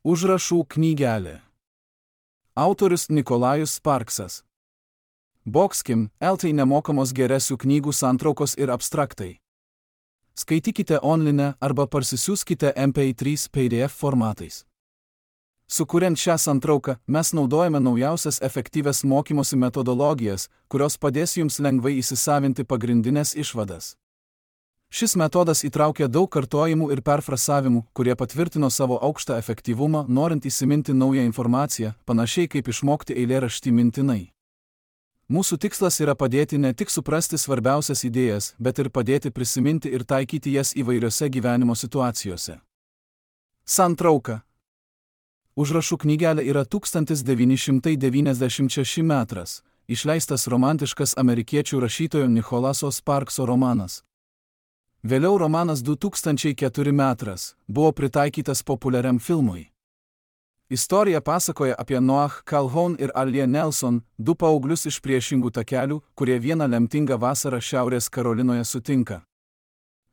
Užrašų knygelė. Autorius Nikolajus Sparksas. Boxkim, LT nemokamos geresių knygų santraukos ir abstraktai. Skaitykite online arba parsisiųskite MP3 PDF formatais. Sukuriant šią santrauką, mes naudojame naujausias efektyvias mokymosi metodologijas, kurios padės jums lengvai įsisavinti pagrindinės išvadas. Šis metodas įtraukia daug kartojimų ir perfrasavimų, kurie patvirtino savo aukštą efektyvumą, norint įsiminti naują informaciją, panašiai kaip išmokti eilėraštį mintinai. Mūsų tikslas yra padėti ne tik suprasti svarbiausias idėjas, bet ir padėti prisiminti ir taikyti jas įvairiose gyvenimo situacijose. Santrauka. Užrašų knygelė yra 1996 metras, išleistas romantiškas amerikiečių rašytojo Nicholaso Sparkso romanas. Vėliau romanas 2004 metras buvo pritaikytas populiariam filmui. Istorija pasakoja apie Noah Calhoun ir Allie Nelson, du paauglius iš priešingų takelių, kurie vieną lemtingą vasarą Šiaurės Karolinoje sutinka.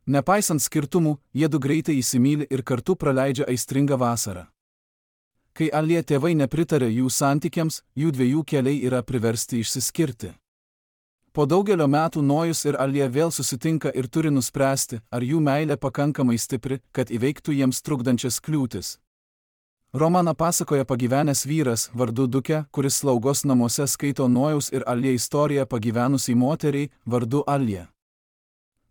Nepaisant skirtumų, jie du greitai įsimyli ir kartu praleidžia aistringą vasarą. Kai Allie tėvai nepritarė jų santykiams, jų dviejų keliai yra priversti išsiskirti. Po daugelio metų Nojus ir Allie vėl susitinka ir turi nuspręsti, ar jų meilė pakankamai stipri, kad įveiktų jiems trukdančias kliūtis. Romaną pasakoja pagyvenęs vyras vardu Duke, kuris slaugos namuose skaito Nojaus ir Allie istoriją pagyvenusiai moteriai vardu Allie.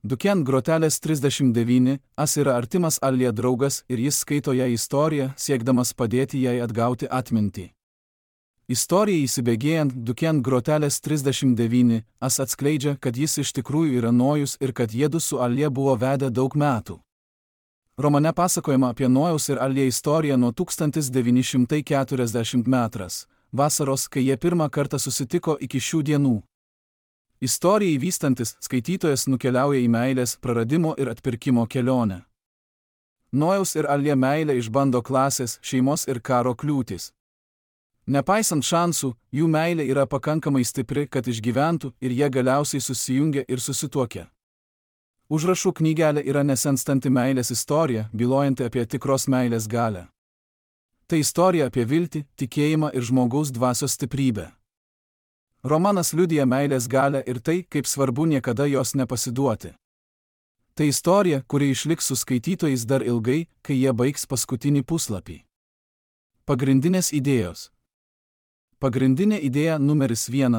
Duken grotelės 39, yra artimas Allie draugas ir jis skaito ją istoriją, siekdamas padėti jai atgauti atmintį. Istorijai įsibėgėjant, Duken grotelės 39 atskleidžia, kad jis iš tikrųjų yra Nojus ir kad jiedu su Allie buvo vedę daug metų. Romane pasakojama apie Nojaus ir Allie istoriją nuo 1940 metras, vasaros, kai jie pirmą kartą susitiko iki šių dienų. Istorijai vystantis, skaitytojas nukeliauja į meilės, praradimo ir atpirkimo kelionę. Nojaus ir Allie meilė išbando klasės, šeimos ir karo kliūtis. Nepaisant šansų, jų meilė yra pakankamai stipri, kad išgyventų ir jie galiausiai susijungia ir susituokia. Užrašų knygelė yra nesenstanti meilės istorija, bylojanti apie tikros meilės galią. Tai istorija apie viltį, tikėjimą ir žmogaus dvasios stiprybę. Romanas liudija meilės galią ir tai, kaip svarbu niekada jos nepasiduoti. Tai istorija, kuri išliks su skaitytojais dar ilgai, kai jie baigs paskutinį puslapį. Pagrindinės idėjos. Pagrindinė idėja numeris 1.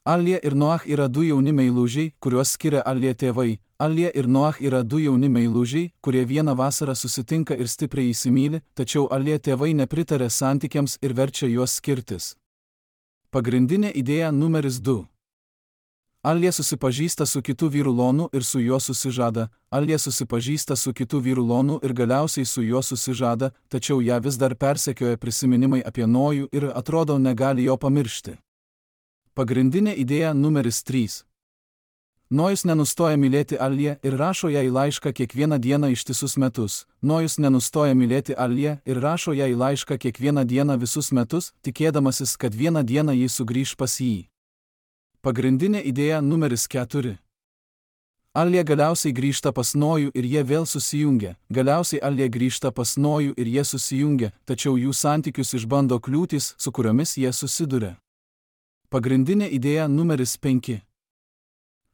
Allie ir Noah yra du jauni meilužiai, kuriuos skiria Allie tėvai. Allie ir Noah yra du jauni meilužiai, kurie vieną vasarą susitinka ir stipriai įsimyli, tačiau Allie tėvai nepritarė santykiams ir verčia juos skirtis. Pagrindinė idėja numeris 2. Allie susipažįsta su kitu vyru Lonu ir su juo susižada. Allie susipažįsta su kitu vyru Lonu ir galiausiai su juo susižada, tačiau ją vis dar persekioja prisiminimai apie Nojų ir atrodo negali jo pamiršti. Pagrindinė idėja numeris 3. Nojus nenustoja mylėti Allie ir rašo jai laišką kiekvieną dieną ištisus metus. Nojus nenustoja mylėti Allie ir rašo jai laišką kiekvieną dieną visus metus, tikėdamasis, kad vieną dieną ji sugrįš pas jį. Pagrindinė idėja numeris 4. Allie galiausiai grįžta pas Nojų ir jie vėl susijungia. Galiausiai Allie grįžta pas Nojų ir jie susijungia, tačiau jų santykius išbando kliūtis, su kuriomis jie susiduria. Pagrindinė idėja numeris 5.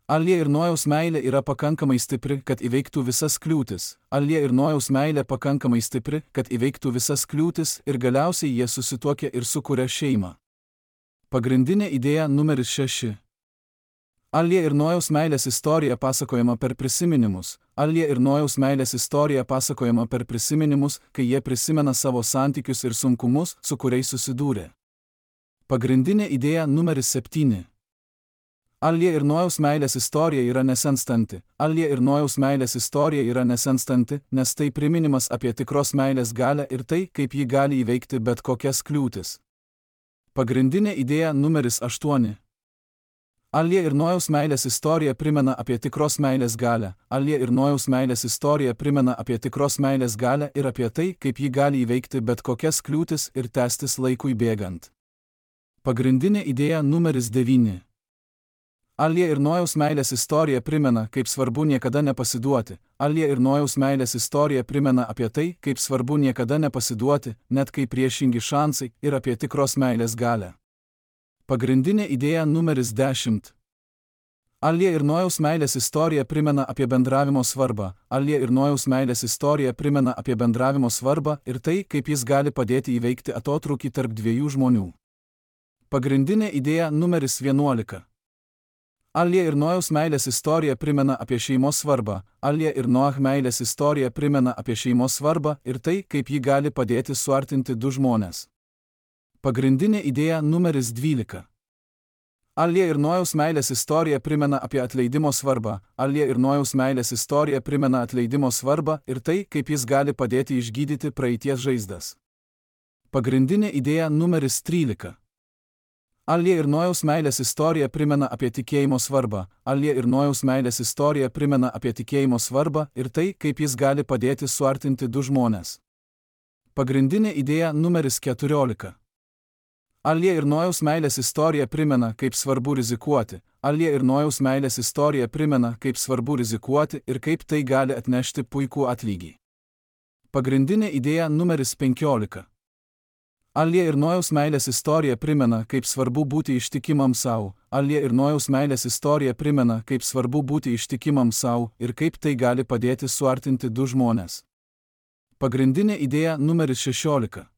Allie ir Nojaus meilė yra pakankamai stipri, kad įveiktų visas kliūtis. Allie ir Nojaus meilė pakankamai stipri, kad įveiktų visas kliūtis ir galiausiai jie susituokia ir sukuria šeimą. Pagrindinė idėja numeris 6. Allie ir Nojaus meilės istorija pasakojama per prisiminimus. Allie ir Nojaus meilės istorija pasakojama per prisiminimus, kai jie prisimena savo santykius ir sunkumus, su kuriais susidūrė. Pagrindinė idėja numeris 7. Allie ir Nojaus meilės istorija yra nesenstanti. Allie ir Nojaus meilės istorija yra nesenstanti, nes tai priminimas apie tikros meilės galią ir tai, kaip ji gali įveikti bet kokias kliūtis. Pagrindinė idėja numeris 8. Allie ir Nojaus meilės istorija primena apie tikros meilės galią. Allie ir Nojaus meilės istorija primena apie tikros meilės galią ir apie tai, kaip ji gali įveikti bet kokias kliūtis ir tęstis laikui bėgant. Pagrindinė idėja numeris 9. Allie ir Nojaus meilės istorija primena, kaip svarbu niekada nepasiduoti. Alija ir Nojaus meilės istorija primena apie tai, kaip svarbu niekada nepasiduoti, net kai priešingi šansai, ir apie tikros meilės galią. Pagrindinė idėja numeris 10. Alija ir Nojaus meilės istorija primena apie bendravimo svarbą. Alija ir Nojaus meilės istorija primena apie bendravimo svarbą ir tai, kaip jis gali padėti įveikti atotrūkį tarp dviejų žmonių. Pagrindinė idėja numeris 11. Alija ir Nojaus meilės istorija primena apie šeimos svarbą. Alija ir Noach meilės istorija primena apie šeimos svarbą ir tai, kaip ji gali padėti suartinti du žmones. Pagrindinė idėja numeris 12. Alija ir Nojaus meilės istorija primena apie atleidimo svarbą. Alija ir Nojaus meilės istorija primena atleidimo svarbą ir tai, kaip jis gali padėti išgydyti praeities žaizdas. Pagrindinė idėja numeris 13. Alija ir Nojaus meilės istorija primena apie tikėjimo svarbą. Alija ir Nojaus meilės istorija primena apie tikėjimo svarbą ir tai, kaip jis gali padėti suartinti du žmones. Pagrindinė idėja numeris 14. Alija ir Nojaus meilės istorija primena, kaip svarbu rizikuoti. Alija ir Nojaus meilės istorija primena, kaip svarbu rizikuoti ir kaip tai gali atnešti puikų atlygį. Pagrindinė idėja numeris 15. Alija ir Nojaus meilės istorija primena, kaip svarbu būti ištikimam savo. Alija ir Nojaus meilės istorija primena, kaip svarbu būti ištikimam savo ir kaip tai gali padėti suartinti du žmones. Pagrindinė idėja numeris 16.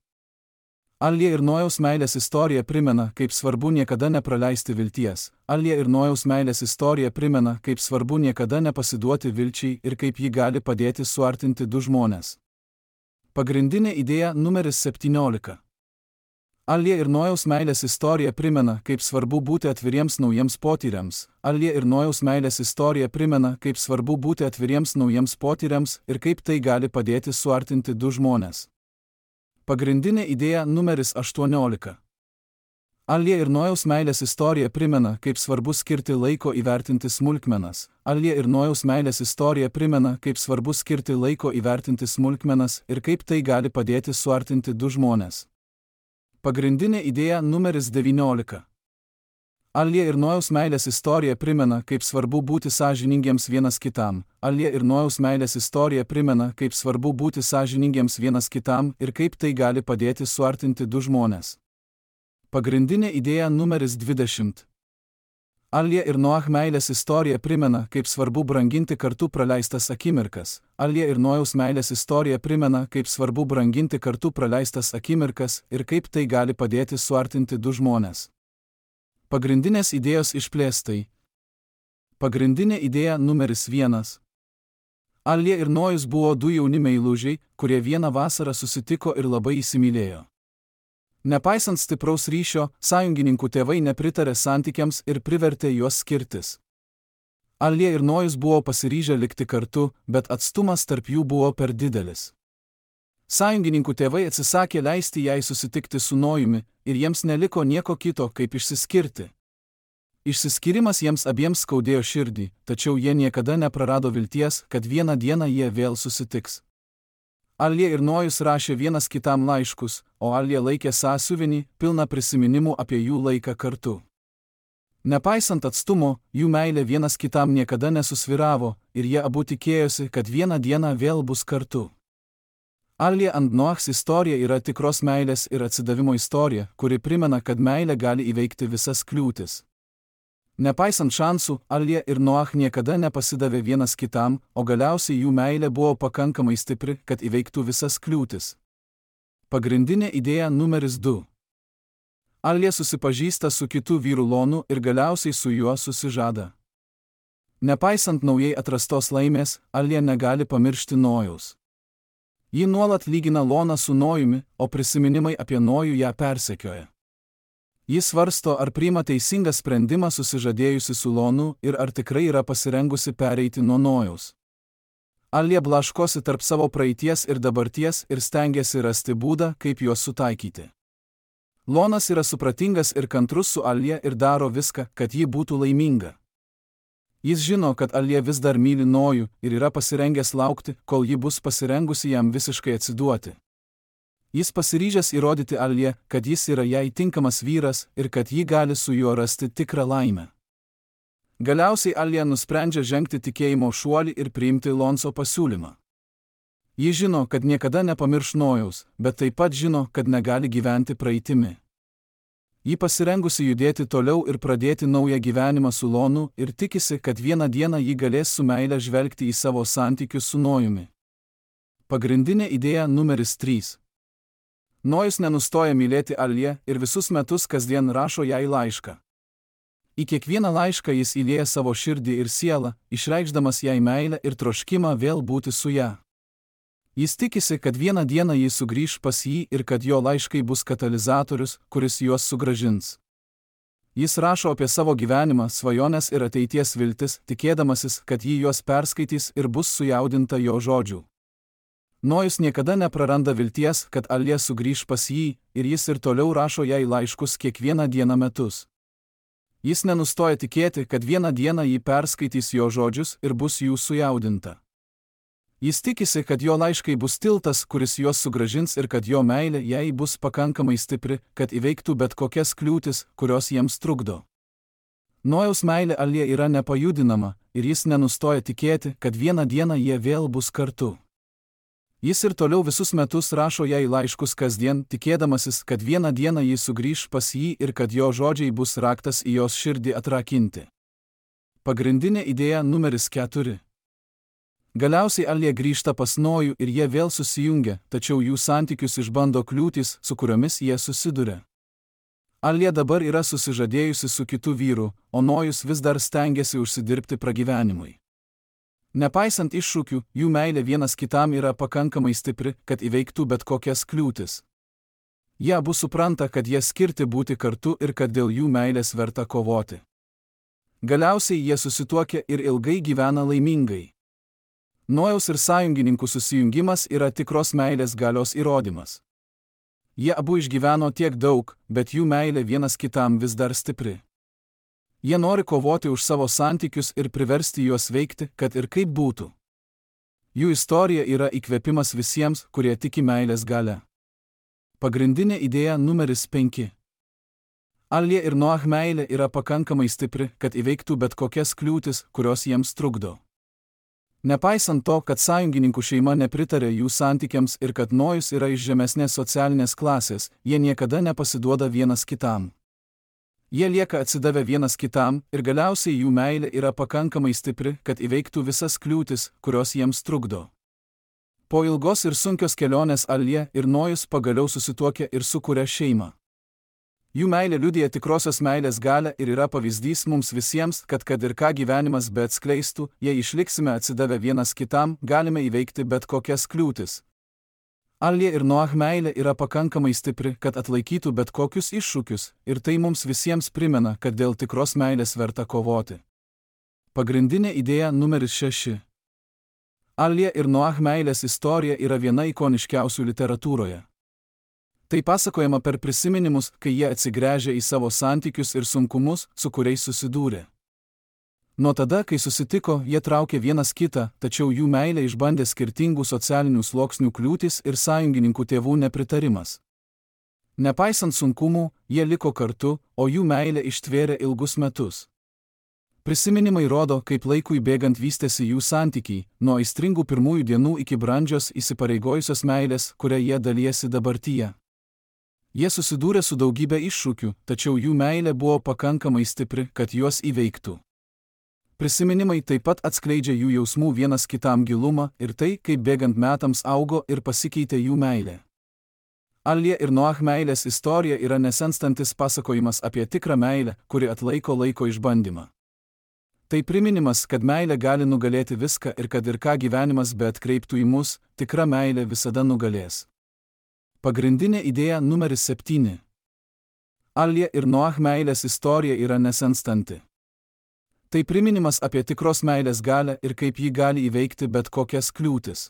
Alija ir Nojaus meilės istorija primena, kaip svarbu niekada nepraleisti vilties. Alija ir Nojaus meilės istorija primena, kaip svarbu niekada nepasiduoti vilčiai ir kaip ji gali padėti suartinti du žmones. Pagrindinė idėja numeris 17. Alija ir Nojaus meilės istorija primena, kaip svarbu būti atviriems naujiems potyriams. Alija ir Nojaus meilės istorija primena, kaip svarbu būti atviriems naujiems potyriams ir kaip tai gali padėti suartinti du žmones. Pagrindinė idėja numeris 18. Alija ir Nojaus meilės istorija primena, kaip svarbu skirti laiko įvertinti smulkmenas. Alija ir Nojaus meilės istorija primena, kaip svarbu skirti laiko įvertinti smulkmenas ir kaip tai gali padėti suartinti du žmones. Pagrindinė idėja numeris 19. Alija ir Nojaus meilės istorija primena, kaip svarbu būti sąžiningiems vienas kitam. Alija ir Nojaus meilės istorija primena, kaip svarbu būti sąžiningiems vienas kitam ir kaip tai gali padėti suartinti du žmones. Pagrindinė idėja numeris 20. Alija ir Noach meilės istorija primena, kaip svarbu branginti kartu praleistas akimirkas. Alija ir Nojaus meilės istorija primena, kaip svarbu branginti kartu praleistas akimirkas ir kaip tai gali padėti suartinti du žmones. Pagrindinės idėjos išplėstai. Pagrindinė idėja numeris 1. Alija ir Nojus buvo du jauni meilužiai, kurie vieną vasarą susitiko ir labai įsimylėjo. Nepaisant stipraus ryšio, sąjungininkų tėvai nepritarė santykiams ir privertė juos skirtis. Alija ir Nojus buvo pasiryžę likti kartu, bet atstumas tarp jų buvo per didelis. Sąjungininkų tėvai atsisakė leisti jai susitikti su Nojumi ir jiems neliko nieko kito, kaip išsiskirti. Išsiskyrimas jiems abiems skaudėjo širdį, tačiau jie niekada neprarado vilties, kad vieną dieną jie vėl susitiks. Alija ir Nojus rašė vienas kitam laiškus, o Alija laikė sąsiuvinį, pilną prisiminimų apie jų laiką kartu. Nepaisant atstumo, jų meilė vienas kitam niekada nesusvyravo ir jie abu tikėjosi, kad vieną dieną vėl bus kartu. Alija and Noachs istorija yra tikros meilės ir atsidavimo istorija, kuri primena, kad meilė gali įveikti visas kliūtis. Nepaisant šansų, Alija ir Noach niekada nepasidavė vienas kitam, o galiausiai jų meilė buvo pakankamai stipri, kad įveiktų visas kliūtis. Pagrindinė idėja numeris 2. Alija susipažįsta su kitu vyru Lonu ir galiausiai su juo susižada. Nepaisant naujai atrastos laimės, Alija negali pamiršti Nojaus. Ji nuolat lygina Loną su Nojumi, o prisiminimai apie Nojų ją persekioja. Jis svarsto, ar priima teisingą sprendimą susižadėjusi su Lonu ir ar tikrai yra pasirengusi pereiti nuo Nojaus. Alija blaškosi tarp savo praeities ir dabarties ir stengiasi rasti būdą, kaip juos sutaikyti. Lonas yra supratingas ir kantrus su Alija ir daro viską, kad ji būtų laiminga. Jis žino, kad Alija vis dar myli Nojų ir yra pasirengęs laukti, kol ji bus pasirengusi jam visiškai atsiduoti. Jis pasiryžęs įrodyti Alijai, kad jis yra jai tinkamas vyras ir kad ji gali su juo rasti tikrą laimę. Galiausiai Alija nusprendžia žengti tikėjimo šuolį ir priimti Lonso pasiūlymą. Ji žino, kad niekada nepamirš Nojaus, bet taip pat žino, kad negali gyventi praeitimi. Ji pasirengusi judėti toliau ir pradėti naują gyvenimą su Lonu ir tikisi, kad vieną dieną ji galės su meile žvelgti į savo santykius su Nojumi. Pagrindinė idėja numeris 3. Nojus nenustoja mylėti Aliją ir visus metus kasdien rašo jai laišką. Į kiekvieną laišką jis įlieja savo širdį ir sielą, išreikšdamas jai meilę ir troškimą vėl būti su ja. Jis tikisi, kad vieną dieną jis sugrįš pas jį ir kad jo laiškai bus katalizatorius, kuris juos sugrąžins. Jis rašo apie savo gyvenimą, svajones ir ateities viltis, tikėdamasis, kad ji juos perskaitys ir bus sujaudinta jo žodžių. Nojus niekada nepraranda vilties, kad Alija sugrįš pas jį, ir jis ir toliau rašo jai laiškus kiekvieną dieną metus. Jis nenustoja tikėti, kad vieną dieną ji perskaitys jo žodžius ir bus jų sujaudinta. Jis tikisi, kad jo laiškai bus tiltas, kuris juos sugrąžins ir kad jo meilė jai bus pakankamai stipri, kad įveiktų bet kokias kliūtis, kurios jiems trukdo. Nojaus meilė Alijai yra nepajudinama ir jis nenustoja tikėti, kad vieną dieną jie vėl bus kartu. Jis ir toliau visus metus rašo jai laiškus kasdien, tikėdamasis, kad vieną dieną ji sugrįš pas jį ir kad jo žodžiai bus raktas į jos širdį atrakinti. Pagrindinė idėja numeris 4. Galiausiai Alija grįžta pas Nojų ir jie vėl susijungia, tačiau jų santykius išbando kliūtis, su kuriomis jie susiduria. Alija dabar yra susižadėjusi su kitu vyru, o Nojus vis dar stengiasi užsidirbti pragyvenimui. Nepaisant iššūkių, jų meilė vienas kitam yra pakankamai stipri, kad įveiktų bet kokias kliūtis. Jie abu supranta, kad jie skirti būti kartu ir kad dėl jų meilės verta kovoti. Galiausiai jie susituokia ir ilgai gyvena laimingai. Nojaus ir sąjungininkų susijungimas yra tikros meilės galios įrodymas. Jie abu išgyveno tiek daug, bet jų meilė vienas kitam vis dar stipri. Jie nori kovoti už savo santykius ir priversti juos veikti, kad ir kaip būtų. Jų istorija yra įkvėpimas visiems, kurie tiki meilės galia. Pagrindinė idėja numeris 5. Alija ir Noach meilė yra pakankamai stipri, kad įveiktų bet kokias kliūtis, kurios jiems trukdo. Nepaisant to, kad sąjungininkų šeima nepritarė jų santykiams ir kad Nojus yra iš žemesnės socialinės klasės, jie niekada nepasiduoda vienas kitam. Jie lieka atsidavę vienas kitam ir galiausiai jų meilė yra pakankamai stipri, kad įveiktų visas kliūtis, kurios jiems trukdo. Po ilgos ir sunkios kelionės Alija ir Nojus pagaliau susituokia ir sukuria šeimą. Jų meilė liudija tikrosios meilės galią ir yra pavyzdys mums visiems, kad ir ką gyvenimas beatskleistų, jei išliksime atsidavę vienas kitam, galime įveikti bet kokias kliūtis. Alija ir Noach meilė yra pakankamai stipri, kad atlaikytų bet kokius iššūkius, ir tai mums visiems primena, kad dėl tikros meilės verta kovoti. Pagrindinė idėja numeris 6. Alija ir Noach meilės istorija yra viena ikoniškiausių literatūroje. Tai pasakojama per prisiminimus, kai jie atsigręžia į savo santykius ir sunkumus, su kuriais susidūrė. Nuo tada, kai susitiko, jie traukė vienas kitą, tačiau jų meilė išbandė skirtingų socialinių sluoksnių kliūtis ir sąjungininkų tėvų nepritarimas. Nepaisant sunkumų, jie liko kartu, o jų meilė ištvėrė ilgus metus. Prisiminimai rodo, kaip laikui bėgant vystėsi jų santykiai, nuo aistringų pirmųjų dienų iki brandžios įsipareigojusios meilės, kuria jie dalijasi dabartyje. Jie susidūrė su daugybė iššūkių, tačiau jų meilė buvo pakankamai stipri, kad juos įveiktų. Prisiminimai taip pat atskleidžia jų jausmų vienas kitam gilumą ir tai, kaip bėgant metams augo ir pasikeitė jų meilė. Alija ir Noach meilės istorija yra nesenstantis pasakojimas apie tikrą meilę, kuri atlaiko laiko išbandymą. Tai priminimas, kad meilė gali nugalėti viską ir kad ir ką gyvenimas beatkreiptų į mus, tikra meilė visada nugalės. Pagrindinė idėja numeris 7. Alija ir Noach meilės istorija yra nesenstanti. Tai priminimas apie tikros meilės galią ir kaip ji gali įveikti bet kokias kliūtis.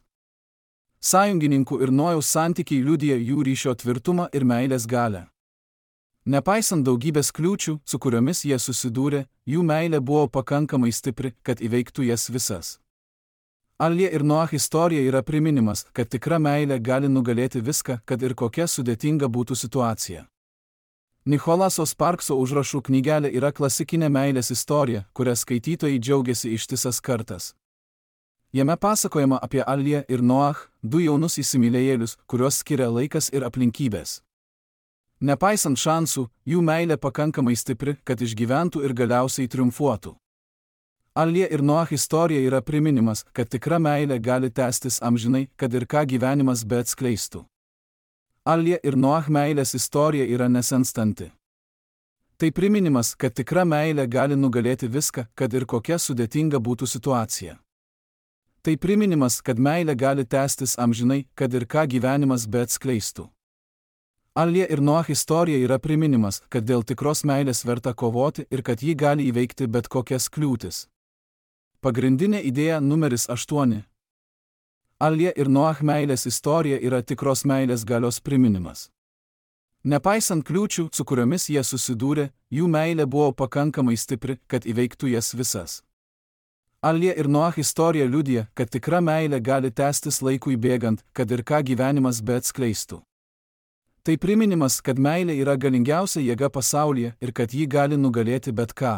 Sąjungininkų ir Nojaus santykiai liudija jų ryšio tvirtumą ir meilės galią. Nepaisant daugybės kliūčių, su kuriomis jie susidūrė, jų meilė buvo pakankamai stipri, kad įveiktų jas visas. Alija ir Noach istorija yra priminimas, kad tikra meilė gali nugalėti viską, kad ir kokia sudėtinga būtų situacija. Nicholaso Sparkso užrašų knygelė yra klasikinė meilės istorija, kurią skaitytojai džiaugiasi ištisas kartas. Jame pasakojama apie Aliją ir Noach, du jaunus įsimylėjėlius, kuriuos skiria laikas ir aplinkybės. Nepaisant šansų, jų meilė pakankamai stipri, kad išgyventų ir galiausiai triumfuotų. Alija ir Noach istorija yra priminimas, kad tikra meilė gali tęstis amžinai, kad ir ką gyvenimas beatskleistų. Alija ir Noach meilės istorija yra nesenstanti. Tai priminimas, kad tikra meilė gali nugalėti viską, kad ir kokia sudėtinga būtų situacija. Tai priminimas, kad meilė gali tęstis amžinai, kad ir ką gyvenimas beatskleistų. Alija ir Noach istorija yra priminimas, kad dėl tikros meilės verta kovoti ir kad ji gali įveikti bet kokias kliūtis. Pagrindinė idėja numeris 8. Alija ir Noach meilės istorija yra tikros meilės galios priminimas. Nepaisant kliūčių, su kuriomis jie susidūrė, jų meilė buvo pakankamai stipri, kad įveiktų jas visas. Alija ir Noach istorija liudija, kad tikra meilė gali tęstis laikui bėgant, kad ir ką gyvenimas beatskleistų. Tai priminimas, kad meilė yra galingiausia jėga pasaulyje ir kad ji gali nugalėti bet ką.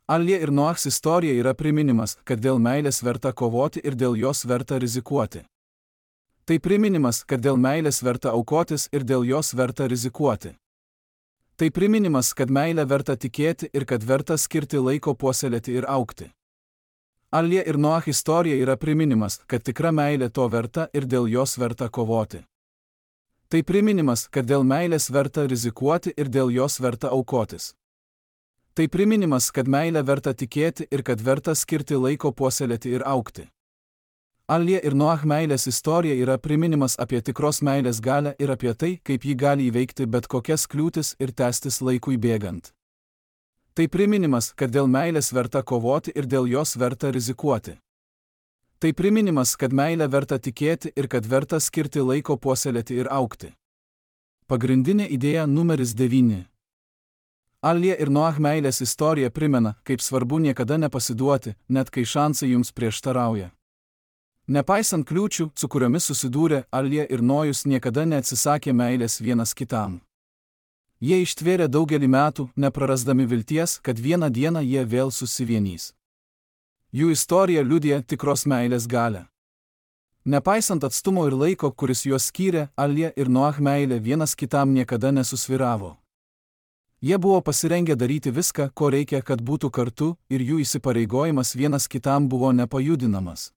Alija ir Noachs istorija yra priminimas, kad dėl meilės verta kovoti ir dėl jos verta rizikuoti. Tai priminimas, kad dėl meilės verta aukotis ir dėl jos verta rizikuoti. Tai priminimas, kad meilę verta tikėti ir kad verta skirti laiko puoselėti ir augti. Alija ir Noach istorija yra priminimas, kad tikra meilė to verta ir dėl jos verta kovoti. Tai priminimas, kad dėl meilės verta rizikuoti ir dėl jos verta aukotis. Tai priminimas, kad meilę verta tikėti ir kad verta skirti laiko puoselėti ir augti. Alija ir Noach meilės istorija yra priminimas apie tikros meilės galią ir apie tai, kaip ji gali įveikti bet kokias kliūtis ir tęstis laikui bėgant. Tai priminimas, kad dėl meilės verta kovoti ir dėl jos verta rizikuoti. Tai priminimas, kad meilę verta tikėti ir kad verta skirti laiko puoselėti ir augti. Pagrindinė idėja numeris 9. Alija ir Noach meilės istorija primena, kaip svarbu niekada nepasiduoti, net kai šansai jums prieštarauja. Nepaisant kliūčių, su kuriomis susidūrė, Alija ir Nojus niekada neatsisakė meilės vienas kitam. Jie ištvėrė daugelį metų, neprarasdami vilties, kad vieną dieną jie vėl susivienys. Jų istorija liudija tikros meilės galią. Nepaisant atstumo ir laiko, kuris juos skyrė, Alija ir Noach meilė vienas kitam niekada nesusvyravo. Jie buvo pasirengę daryti viską, ko reikia, kad būtų kartu, ir jų įsipareigojimas vienas kitam buvo nepajudinamas.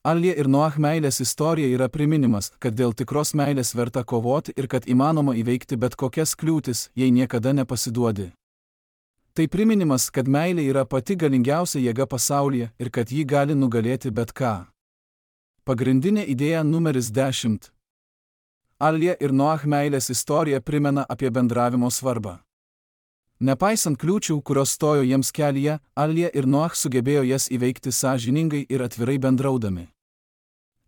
Alija ir Noach meilės istorija yra priminimas, kad dėl tikros meilės verta kovoti ir kad įmanoma įveikti bet kokias kliūtis, jei niekada nepasiduodi. Tai priminimas, kad meilė yra pati galingiausia jėga pasaulyje ir kad ji gali nugalėti bet ką. Pagrindinė idėja numeris 10. Alija ir Noach meilės istorija primena apie bendravimo svarbą. Nepaisant kliūčių, kurios stojo jiems kelyje, Alija ir Noach sugebėjo jas įveikti sąžiningai ir atvirai bendraudami.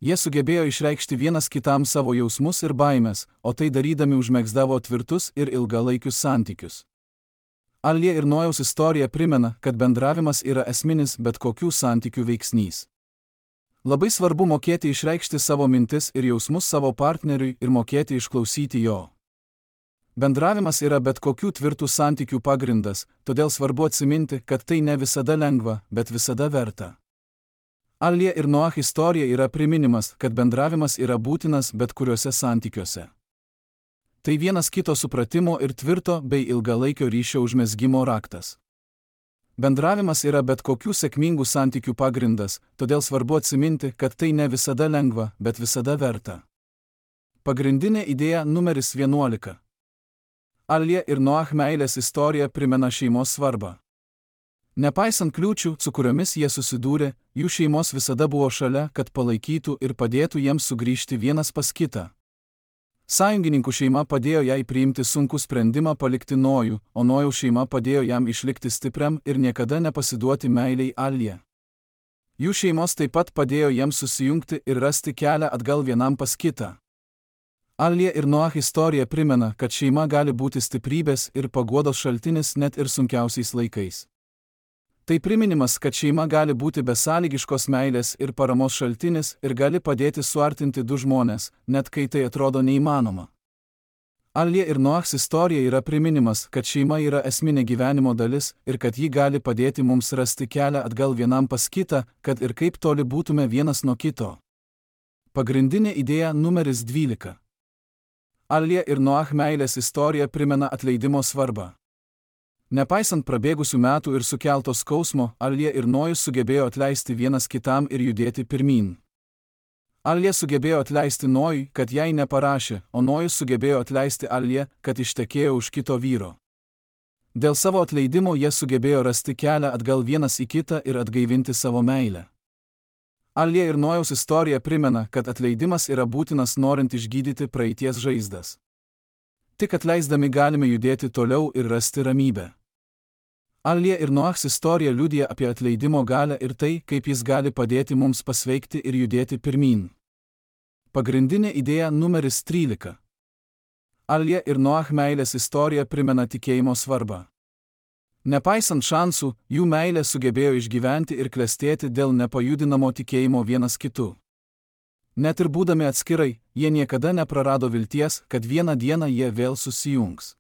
Jie sugebėjo išreikšti vienas kitam savo jausmus ir baimės, o tai darydami užmegzdavo tvirtus ir ilgalaikius santykius. Alija ir Nojaus istorija primena, kad bendravimas yra esminis bet kokių santykių veiksnys. Labai svarbu mokėti išreikšti savo mintis ir jausmus savo partneriui ir mokėti išklausyti jo. Bendravimas yra bet kokių tvirtų santykių pagrindas, todėl svarbu atsiminti, kad tai ne visada lengva, bet visada verta. Alija ir Noach istorija yra priminimas, kad bendravimas yra būtinas bet kuriuose santykiuose. Tai vienas kito supratimo ir tvirto bei ilgalaikio ryšio užmezgimo raktas. Bendravimas yra bet kokių sėkmingų santykių pagrindas, todėl svarbu atsiminti, kad tai ne visada lengva, bet visada verta. Pagrindinė idėja numeris 11. Alija ir Noach meilės istorija primena šeimos svarbą. Nepaisant kliūčių, su kuriomis jie susidūrė, jų šeimos visada buvo šalia, kad palaikytų ir padėtų jiems sugrįžti vienas pas kitą. Sąjungininkų šeima padėjo jai priimti sunkų sprendimą palikti Nojų, o Nojaus šeima padėjo jam išlikti stipriam ir niekada nepasiduoti meiliai Alijai. Jų šeimos taip pat padėjo jiems susijungti ir rasti kelią atgal vienam pas kitą. Alija ir Noach istorija primena, kad šeima gali būti stiprybės ir paguodos šaltinis net ir sunkiausiais laikais. Tai priminimas, kad šeima gali būti besąlygiškos meilės ir paramos šaltinis ir gali padėti suartinti du žmones, net kai tai atrodo neįmanoma. Alija ir Noachs istorija yra priminimas, kad šeima yra esminė gyvenimo dalis ir kad ji gali padėti mums rasti kelią atgal vienam pas kitą, kad ir kaip toli būtume vienas nuo kito. Pagrindinė idėja numeris 12. Alija ir Noach meilės istorija primena atleidimo svarbą. Nepaisant prabėgusių metų ir sukelto skausmo, Alija ir Nojus sugebėjo atleisti vienas kitam ir judėti pirmyn. Alija sugebėjo atleisti Nojui, kad jai neparašė, o Nojus sugebėjo atleisti Aliją, kad ištekėjo už kito vyro. Dėl savo atleidimo jie sugebėjo rasti kelią atgal vienas į kitą ir atgaivinti savo meilę. Alija ir Nojaus istorija primena, kad atleidimas yra būtinas norint išgydyti praeities žaizdas. Tik atleisdami galime judėti toliau ir rasti ramybę. Alija ir Noachs istorija liudija apie atleidimo galią ir tai, kaip jis gali padėti mums pasveikti ir judėti pirmyn. Pagrindinė idėja numeris 13. Alija ir Noach meilės istorija primena tikėjimo svarbą. Nepaisant šansų, jų meilė sugebėjo išgyventi ir klestėti dėl nepajudinamo tikėjimo vienas kitu. Net ir būdami atskirai, jie niekada neprarado vilties, kad vieną dieną jie vėl susijungs.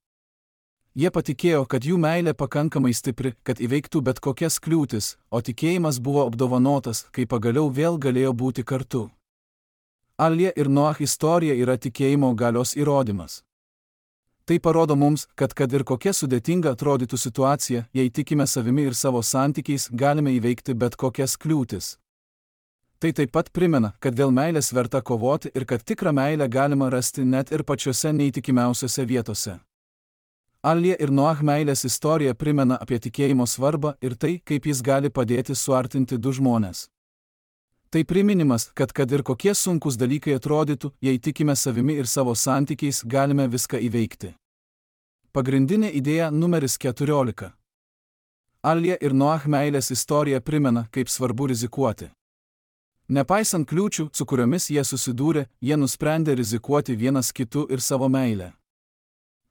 Jie patikėjo, kad jų meilė pakankamai stipri, kad įveiktų bet kokias kliūtis, o tikėjimas buvo apdovanotas, kai pagaliau vėl galėjo būti kartu. Alija ir Noach istorija yra tikėjimo galios įrodymas. Tai parodo mums, kad ir kokia sudėtinga atrodytų situacija, jei tikime savimi ir savo santykiais, galime įveikti bet kokias kliūtis. Tai taip pat primena, kad dėl meilės verta kovoti ir kad tikrą meilę galima rasti net ir pačiose neįtikimiausiose vietose. Alija ir Noach meilės istorija primena apie tikėjimo svarbą ir tai, kaip jis gali padėti suartinti du žmones. Tai priminimas, kad ir kokie sunkus dalykai atrodytų, jei tikime savimi ir savo santykiais, galime viską įveikti. Pagrindinė idėja numeris 14. Alija ir Noach meilės istorija primena, kaip svarbu rizikuoti. Nepaisant kliūčių, su kuriomis jie susidūrė, jie nusprendė rizikuoti vienas kitu ir savo meilę.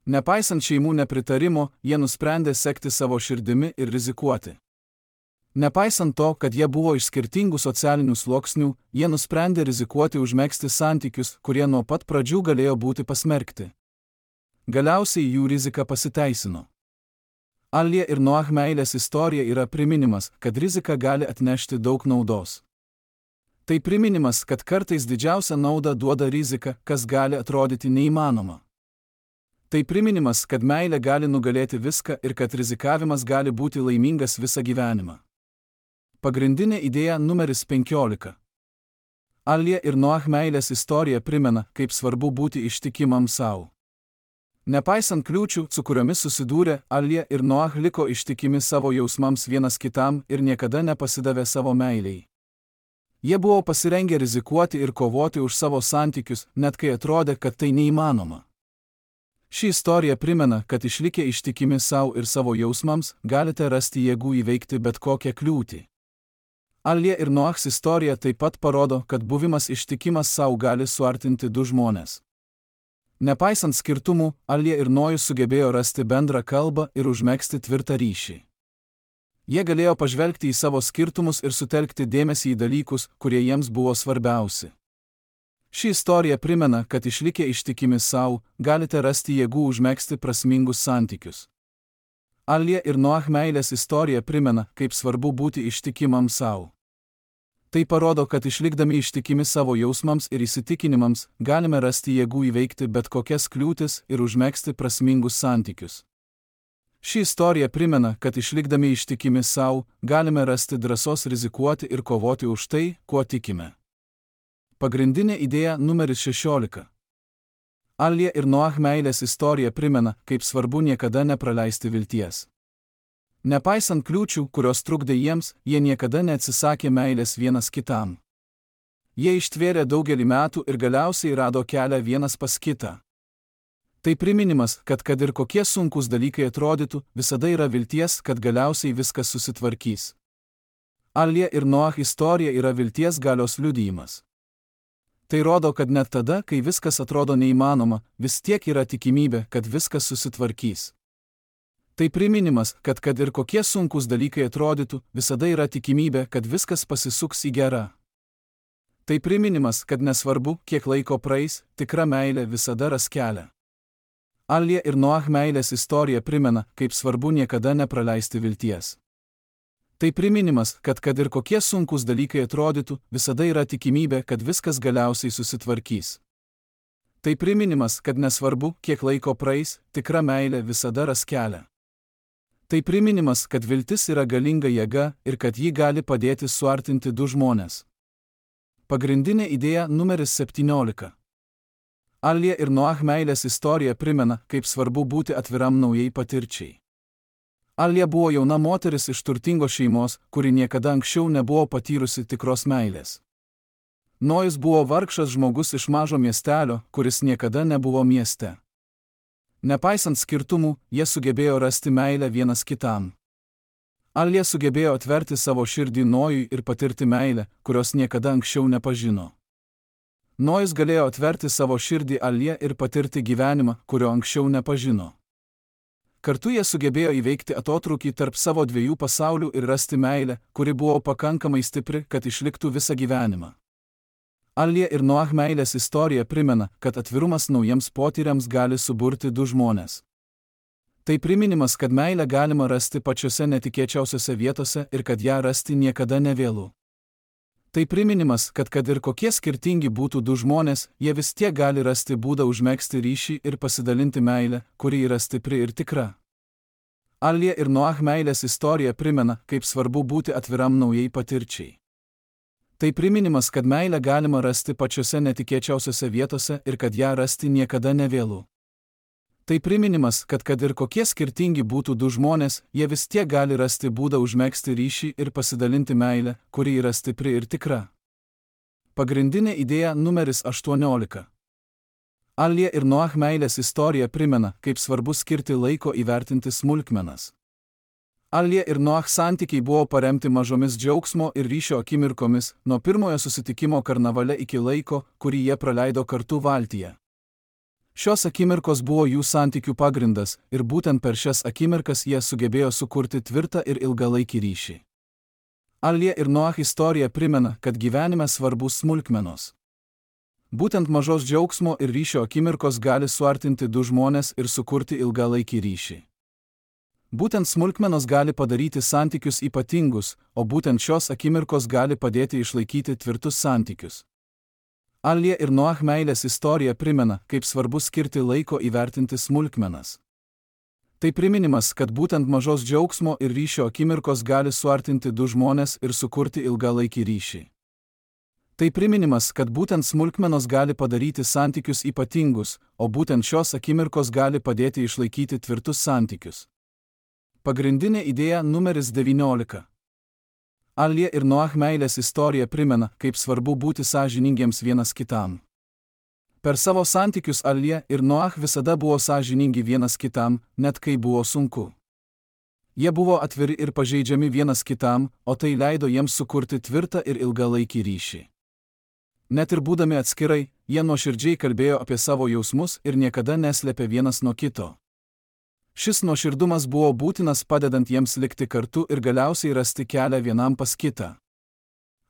Nepaisant šeimų nepritarimo, jie nusprendė sekti savo širdimi ir rizikuoti. Nepaisant to, kad jie buvo iš skirtingų socialinių sluoksnių, jie nusprendė rizikuoti užmegzti santykius, kurie nuo pat pradžių galėjo būti pasmerkti. Galiausiai jų rizika pasiteisino. Alija ir Noach meilės istorija yra priminimas, kad rizika gali atnešti daug naudos. Tai priminimas, kad kartais didžiausią naudą duoda rizika, kas gali atrodyti neįmanoma. Tai priminimas, kad meilė gali nugalėti viską ir kad rizikavimas gali būti laimingas visą gyvenimą. Pagrindinė idėja numeris 15. Alija ir Noach meilės istorija primena, kaip svarbu būti ištikimam savo. Nepaisant kliūčių, su kuriomis susidūrė, Alija ir Noach liko ištikimi savo jausmams vienas kitam ir niekada nepasidavė savo meiliai. Jie buvo pasirengę rizikuoti ir kovoti už savo santykius, net kai atrodė, kad tai neįmanoma. Ši istorija primena, kad išlikę ištikimi savo ir savo jausmams, galite rasti jėgų įveikti bet kokią kliūtį. Alija ir Noachs istorija taip pat parodo, kad buvimas ištikimas savo gali suartinti du žmones. Nepaisant skirtumų, Alija ir Nojus sugebėjo rasti bendrą kalbą ir užmegzti tvirtą ryšį. Jie galėjo pažvelgti į savo skirtumus ir sutelkti dėmesį į dalykus, kurie jiems buvo svarbiausi. Ši istorija primena, kad išlikę ištikimi savo, galite rasti jėgų užmegzti prasmingus santykius. Alija ir Noach meilės istorija primena, kaip svarbu būti ištikimam savo. Tai parodo, kad išlikdami ištikimi savo jausmams ir įsitikinimams, galime rasti jėgų įveikti bet kokias kliūtis ir užmegzti prasmingus santykius. Ši istorija primena, kad išlikdami ištikimi savo, galime rasti drąsos rizikuoti ir kovoti už tai, kuo tikime. Pagrindinė idėja numeris 16. Alija ir Noach meilės istorija primena, kaip svarbu niekada nepraleisti vilties. Nepaisant kliūčių, kurios trukdė jiems, jie niekada neatsisakė meilės vienas kitam. Jie ištvėrė daugelį metų ir galiausiai rado kelią vienas pas kitą. Tai priminimas, kad ir kokie sunkus dalykai atrodytų, visada yra vilties, kad galiausiai viskas susitvarkys. Alija ir Noach istorija yra vilties galios liudijimas. Tai rodo, kad net tada, kai viskas atrodo neįmanoma, vis tiek yra tikimybė, kad viskas susitvarkys. Tai priminimas, kad ir kokie sunkus dalykai atrodytų, visada yra tikimybė, kad viskas pasisuks į gerą. Tai priminimas, kad nesvarbu, kiek laiko praeis, tikra meilė visada ras kelią. Alija ir Noach meilės istorija primena, kaip svarbu niekada nepraleisti vilties. Tai priminimas, kad ir kokie sunkūs dalykai atrodytų, visada yra tikimybė, kad viskas galiausiai susitvarkys. Tai priminimas, kad nesvarbu, kiek laiko praeis, tikra meilė visada ras kelią. Tai priminimas, kad viltis yra galinga jėga ir kad ji gali padėti suartinti du žmones. Pagrindinė idėja numeris 17. Alija ir Noach meilės istorija primena, kaip svarbu būti atviram naujai patirčiai. Alija buvo jauna moteris iš turtingos šeimos, kuri niekada anksčiau nebuvo patyrusi tikros meilės. Nojus buvo vargšas žmogus iš mažo miestelio, kuris niekada nebuvo mieste. Nepaisant skirtumų, jie sugebėjo rasti meilę vienas kitam. Alija sugebėjo atverti savo širdį Nojui ir patirti meilę, kurios niekada anksčiau nepažino. Nojus galėjo atverti savo širdį Alija ir patirti gyvenimą, kurio anksčiau nepažino. Kartu jie sugebėjo įveikti atotrūkį tarp savo dviejų pasaulių ir rasti meilę, kuri buvo pakankamai stipri, kad išliktų visą gyvenimą. Alija ir Noach meilės istorija primena, kad atvirumas naujiems potyriams gali suburti du žmones. Tai priminimas, kad meilę galima rasti pačiose netikėčiausiose vietose ir kad ją rasti niekada nevėlu. Tai priminimas, kad ir kokie skirtingi būtų du žmonės, jie vis tiek gali rasti būdą užmegzti ryšį ir pasidalinti meilę, kuri yra stipri ir tikra. Alija ir Noach meilės istorija primena, kaip svarbu būti atviram naujai patirčiai. Tai priminimas, kad meilę galima rasti pačiose netikėčiausiose vietose ir kad ją rasti niekada nevėlu. Tai priminimas, kad ir kokie skirtingi būtų du žmonės, jie vis tiek gali rasti būdą užmegzti ryšį ir pasidalinti meilę, kuri yra stipri ir tikra. Pagrindinė idėja numeris 18. Alija ir Noach meilės istorija primena, kaip svarbu skirti laiko įvertinti smulkmenas. Alija ir Noach santykiai buvo paremti mažomis džiaugsmo ir ryšio akimirkomis, nuo pirmojo susitikimo karnavale iki laiko, kurį jie praleido kartu valtyje. Šios akimirkos buvo jų santykių pagrindas ir būtent per šias akimirkas jie sugebėjo sukurti tvirtą ir ilgalaikį ryšį. Alija ir Noach istorija primena, kad gyvenime svarbus smulkmenos. Būtent mažos džiaugsmo ir ryšio akimirkos gali suartinti du žmones ir sukurti ilgalaikį ryšį. Būtent smulkmenos gali padaryti santykius ypatingus, o būtent šios akimirkos gali padėti išlaikyti tvirtus santykius. Alija ir Noach meilės istorija primena, kaip svarbu skirti laiko įvertinti smulkmenas. Tai priminimas, kad būtent mažos džiaugsmo ir ryšio akimirkos gali suartinti du žmones ir sukurti ilgalaikį ryšį. Tai priminimas, kad būtent smulkmenos gali padaryti santykius ypatingus, o būtent šios akimirkos gali padėti išlaikyti tvirtus santykius. Pagrindinė idėja numeris 19. Alija ir Noach meilės istorija primena, kaip svarbu būti sąžiningiems vienas kitam. Per savo santykius Alija ir Noach visada buvo sąžiningi vienas kitam, net kai buvo sunku. Jie buvo atviri ir pažeidžiami vienas kitam, o tai leido jiems sukurti tvirtą ir ilgalaikį ryšį. Net ir būdami atskirai, jie nuoširdžiai kalbėjo apie savo jausmus ir niekada neslėpė vienas nuo kito. Šis nuoširdumas buvo būtinas padedant jiems likti kartu ir galiausiai rasti kelią vienam pas kitą.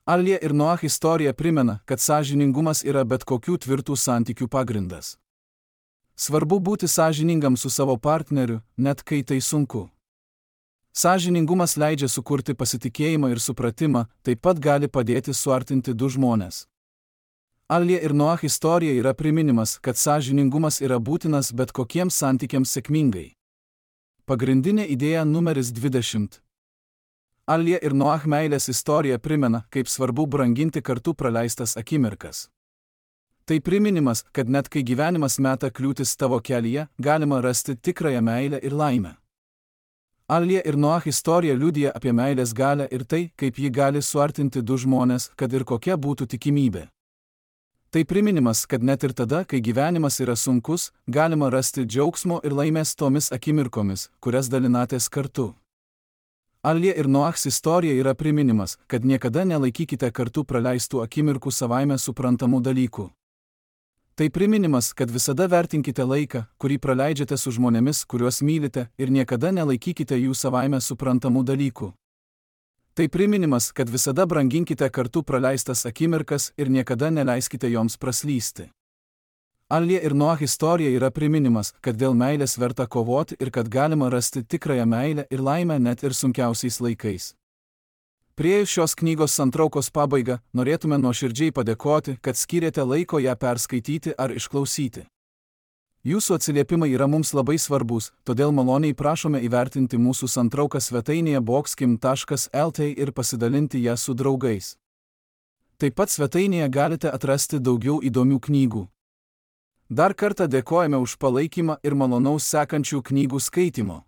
Alija ir Noach istorija primena, kad sąžiningumas yra bet kokių tvirtų santykių pagrindas. Svarbu būti sąžiningam su savo partneriu, net kai tai sunku. Sąžiningumas leidžia sukurti pasitikėjimą ir supratimą, taip pat gali padėti suartinti du žmones. Alija ir Noach istorija yra priminimas, kad sąžiningumas yra būtinas bet kokiems santykiams sėkmingai. Pagrindinė idėja numeris 20. Alija ir Noach meilės istorija primena, kaip svarbu branginti kartu praleistas akimirkas. Tai priminimas, kad net kai gyvenimas meta kliūtis tavo kelyje, galima rasti tikrąją meilę ir laimę. Alija ir Noach istorija liudija apie meilės galią ir tai, kaip ji gali suartinti du žmones, kad ir kokia būtų tikimybė. Tai priminimas, kad net ir tada, kai gyvenimas yra sunkus, galima rasti džiaugsmo ir laimės tomis akimirkomis, kurias dalinatės kartu. Alija ir Noachs istorija yra priminimas, kad niekada nelaikykite kartu praleistų akimirkų savaime suprantamų dalykų. Tai priminimas, kad visada vertinkite laiką, kurį praleidžiate su žmonėmis, kuriuos mylite, ir niekada nelaikykite jų savaime suprantamų dalykų. Tai priminimas, kad visada branginkite kartu praleistas akimirkas ir niekada neleiskite joms praslysti. Alija ir Noach istorija yra priminimas, kad dėl meilės verta kovoti ir kad galima rasti tikrąją meilę ir laimę net ir sunkiausiais laikais. Priėjus šios knygos santraukos pabaigą, norėtume nuoširdžiai padėkoti, kad skyrėte laiko ją perskaityti ar išklausyti. Jūsų atsiliepimai yra mums labai svarbus, todėl maloniai prašome įvertinti mūsų santrauką svetainėje boxkim.lt ir pasidalinti ją su draugais. Taip pat svetainėje galite atrasti daugiau įdomių knygų. Dar kartą dėkojame už palaikymą ir malonaus sekančių knygų skaitymo.